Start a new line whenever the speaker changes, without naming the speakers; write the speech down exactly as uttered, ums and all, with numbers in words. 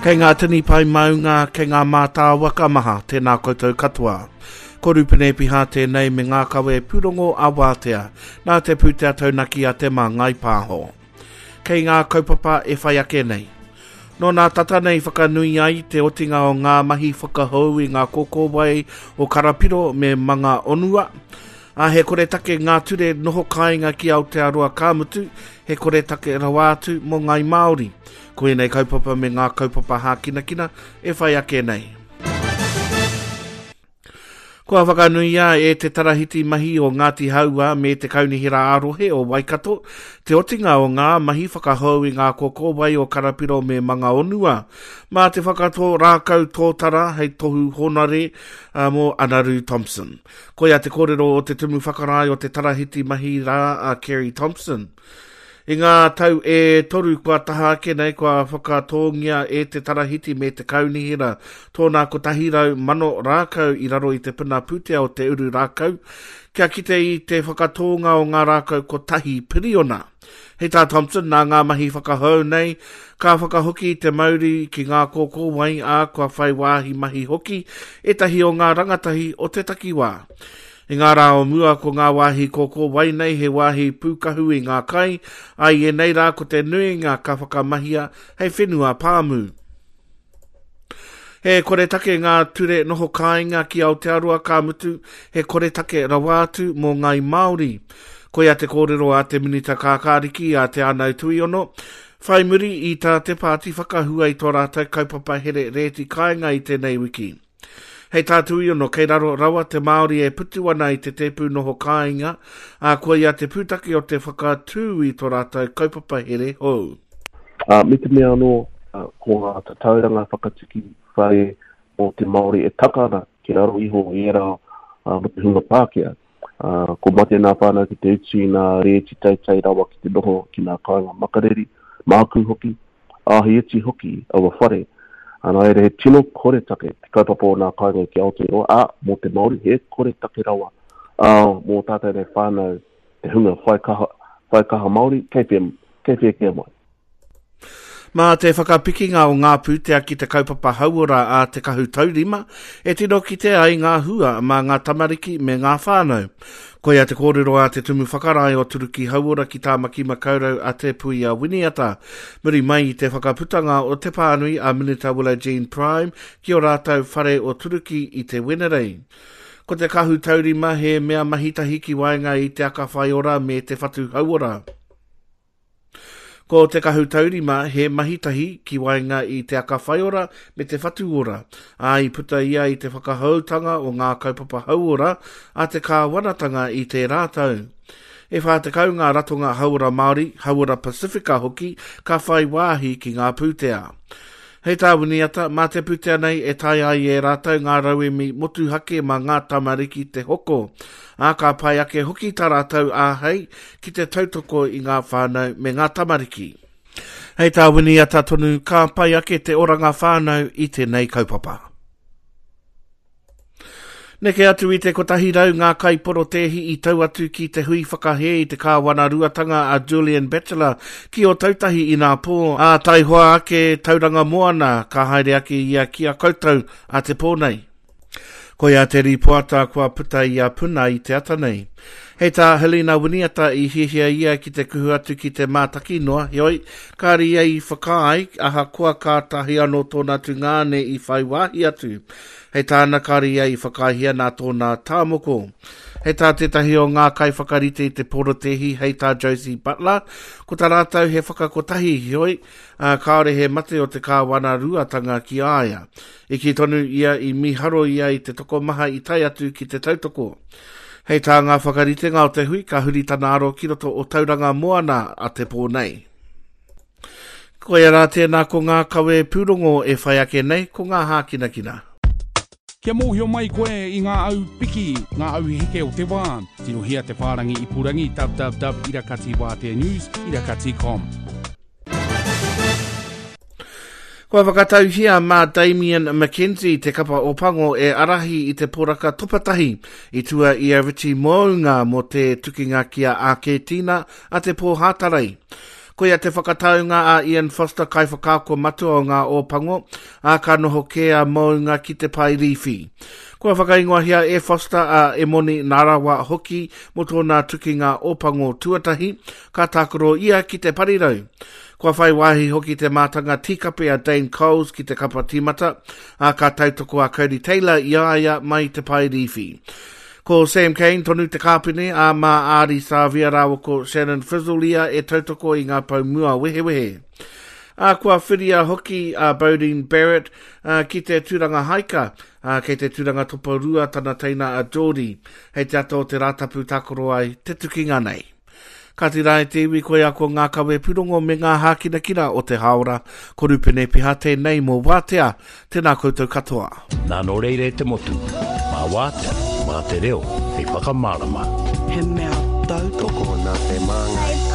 Kei ngā tini pae maunga, kei ngā mātāwaka maha, tēnā koutou katoa. Ko Rupene Piha tēnei me ngā kawe pūrongo a Wātea, nā te pūtea taunaki a Te Māngai Pāho. Kei ngā kaupapa e whai ake nei. Nō nā tata nei whakanui ai te otinga o ngā mahi whakahou i ngā kōkōwai o Karapiro me Manga Onua, a he koretake ngā ture noho kāinga ki Aotearoa ka mutu, he koretake rawa atu mō Ngai Māori. Ko ēnei kaupapa me ngā kaupapa hākinakina e whai ake nei. Kua whakanuia e te tarahiti mahi o Ngāti Hauā me te Kaunihera ā-rohe o Waikato te otinga o ngā mahi whakahou i ngā kōkōwai o Karapiro me Mangaonua mā te whakatō rākau tōtara hei tohu honare mō Anaru Thompson. Koia te kōrero o te tumu whakarae o te tarahiti mahi rā a Kerry Thompson. I ngā tau e toru kua taha ake nei kua whakatōngia e te tarahiti me te kaunihera tōna kotahi rau mano rākau i raro i te puna pūtea o te uru rākau kia kite i te whakatōnga o ngā rākau kotahi piriona. Hei tā Thompson, nā ngā mahi whakahou nei, ka whakahoki te mauri ki ngā kōkōwai ā kua whai wāhi mahi hoki ētahi o ngā rangatahi o te takiwā. I ngā rā o mua ko ngā wāhi kōkōwai nei he wāhi pūkahu i ngā kai, ā i ēnei rā ko te nuinga ka whakamahia hei whenua pāmu. He koretake ngā ture noho kāinga ki Aotearoa ka mutu, he koretake rawa atu mō Ngai Māori. Koia te kōrero a te Minita Kākāriki a Te Anau Tuiono, whai muri i tā te pāti whakahua i tō rātou kaupapa here rēti kāinga i tēnei wiki. Hei tā Tuiono, kei raro rawa te Māori e putu ana i te tēpu noho kāinga, ā koia te pūtake o te whakatū i tō rātou kaupapa here hou.
Uh, me te mea anō, uh, ko ngā tatauranga whakatiki whare mō te Māori e taka ana ki raro iho i ērā uh, mō te hunga Pākehā. Uh, ko mate nā whānau ki te utu i ngā rēti teitei rawa ki te noho ki ngā kāinga makariri, mākū hoki, ā he iti hoki aua whare. Nā reira, he tino koretake te kaupapa o ngā kāinga ki Aotearoa, ā, mō te Māori, he koretake rawa. Ā, mō tātou nei whānau, te hunga whai kaha, whai kaha Māori, kei whea, kei whea kē mai.
Mā te whakapikinga o ngā pūtea ki te kaupapa hauora a Te Kahu Taurima, e tino kite ai ngā hua mā ngā tamariki me ngā whānau. Koia te kōrero a te tumu whakarae o Turuki Hauora ki Tāmaki Makaurau a Te Puia Winiata, muri mai i te whakaputanga o te pānui a Minita Willow Jean Prime ki o rātou whare o Turuki i te Wenerei. Ko Te Kahu Taurima he mea mahitahi ki waenga i te Aka Whaiora me te Whatu Hauora. Ko Te Kahu Taurima he mahitahi ki waenga i te Aka Whaiora me te Whatu Ora, ā, i puta ia i te whakahoutanga o ngā kaupapa hauora a te kāwanatanga i tērā tau. E whā tekau ngā ratonga hauora Māori, hauora Pasifika hoki ka whai wāhi ki ngā pūtea. Hei tā Winiata, mā te pūtea nei e taea ai e rātou ngā rauemi motuhake mā ngā tamariki te hoko, ā, ka pai ake hoki tā rātou āhei ki te tautoko i ngā whānau me ngā tamariki. Hei tā Winiata tonu, ka pai ake te oranga whānau i tēnei kaupapa. Neke atu i te kotahi rau ngā kaiporotēhi i tau atu ki te hui whakahē i te kāwanaruatanga a Julian Batchelor ki Ōtautahi inapō, ā, taihoa ake Tauranga Moana ka haere ake ia ki a koutou a te pō nei. Koia te rīpoata kua puta i a Puna i te ata nei. Hei tā Helena Winiata i hiahia ia ki te kuhu atu ki te mātaki noa, heoi, kāre ia i whakaae, ahakoa kātahi anō tōna tungāne i whai wāhi atu. Hei tāna kāre ia i whakaaehia nā tōna tāmoko. Hei tā tētahi o ngā kaiwhakarite i te porotēhi, hei tā Josie Butler, ko tā rātou he whakakotahi, heoi, ā, kāore he mate o te kāwanaruatanga ki a ia. I kī tonu ia i mīharo ia i te tokomaha i tae atu ki te tautoko. Hei tā ngā whakaritenga o te hui, ka huri tana aro ki roto o Tauranga Moana a te pō nei. Koia rā tēnā ko ngā kawe pūrongo e whai ake nei, ko ngā hākinakina.
Kia mōhio mai koe i ngā au piki, ngā au heke o te wā, tirohia te whārangi ipurangi www irakati wātea news irakati com.
Kua whakatauhia mā Damien McKenzie te kapa o Pango e arahi i te poraka topatahi i tua i a Richie Mounga mō te tukinga ki a Āketina a te pō Hātarei. Koia te whakataunga a Ian Foster kaiwhakaako matua o ngā Ōpango, ā ka noho kē a Mounga ki te pae rīwhi. Kua whakaingoahia e Foster a Emoni Narawa hoki mō tōna tukinga Ōpango tuatahi, ka tākaro ia ki te parirau. Kua whai wāhi hoki te mātanga tīkape a Dane Coles ki te kapa tīmata, ā ka tautoko a Cody Taylor i a ia mai te pae rīwhi. Ko Sam Cane tonu te kāpene, ā mā Ardie Savea rāua ko Shannon Frizzell ia e tautoko i ngā pou mua wehewehe. Ā, kua whiria hoki a Beauden Barrett ā, ki te tūranga haika, ā, kei te tūranga toporua tana teina a Jordie. Hei te ata o te Rātapu tākaro ai te tukinga nei. Kāti rā e te iwi, koia ko ngā kawe pūrongo me ngā hākinakina o te hāora. Ko Rupene Piha tēnei mō Wātea. Tēnā koutou katoa.
Nā nō reira e te motu, mā Wātea, mā te reo, hei whakamārama.
He mea tautoko.
Tokona te māngai.